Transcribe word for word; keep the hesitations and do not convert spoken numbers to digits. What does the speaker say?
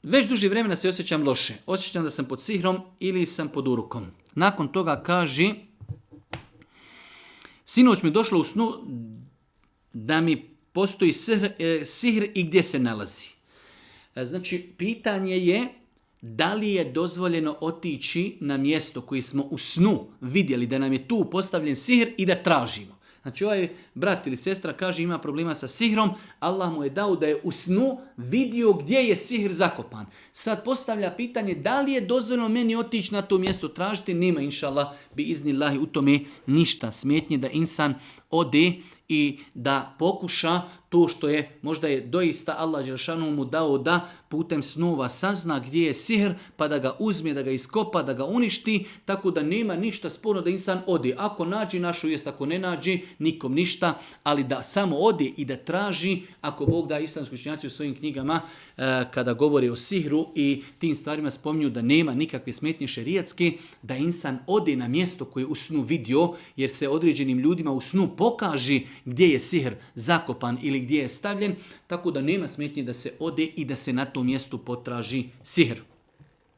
već duže vremena se osjećam loše. Osjećam da sam pod sihrom ili sam pod urukom. Nakon toga kaže, sinoć mi došlo u snu da mi postoji sihr, sihr i gdje se nalazi. Znači, pitanje je da li je dozvoljeno otići na mjesto koje smo u snu vidjeli da nam je tu postavljen sihr i da tražimo. Znači ovaj brat ili sestra kaže ima problema sa sihrom, Allah mu je dao da je u snu vidio gdje je sihr zakopan. Sad postavlja pitanje da li je dozvoljeno meni otići na to mjesto tražiti, nema inšallah bi iznillahi u tome ništa smetnje da insan ode i da pokuša to što je, možda je doista Allah dželešanu mu dao da putem snova sazna gdje je sihr, pa da ga uzme, da ga iskopa, da ga uništi, tako da nema ništa sporno da insan ode. Ako nađi našu jest, ako ne nađi, nikom ništa, ali da samo ode i da traži, ako Bog da, islamski učenjaci u svojim knjigama, e, kada govore o sihru i tim stvarima spominju da nema nikakve smetnje šerijatske, da insan ode na mjesto koje je u snu vidio, jer se određenim ljudima u snu pokaže gdje je sihr zakopan ili gdje je stavljen, tako da nema smetnje da se ode i da se na tom mjestu potraži sihr.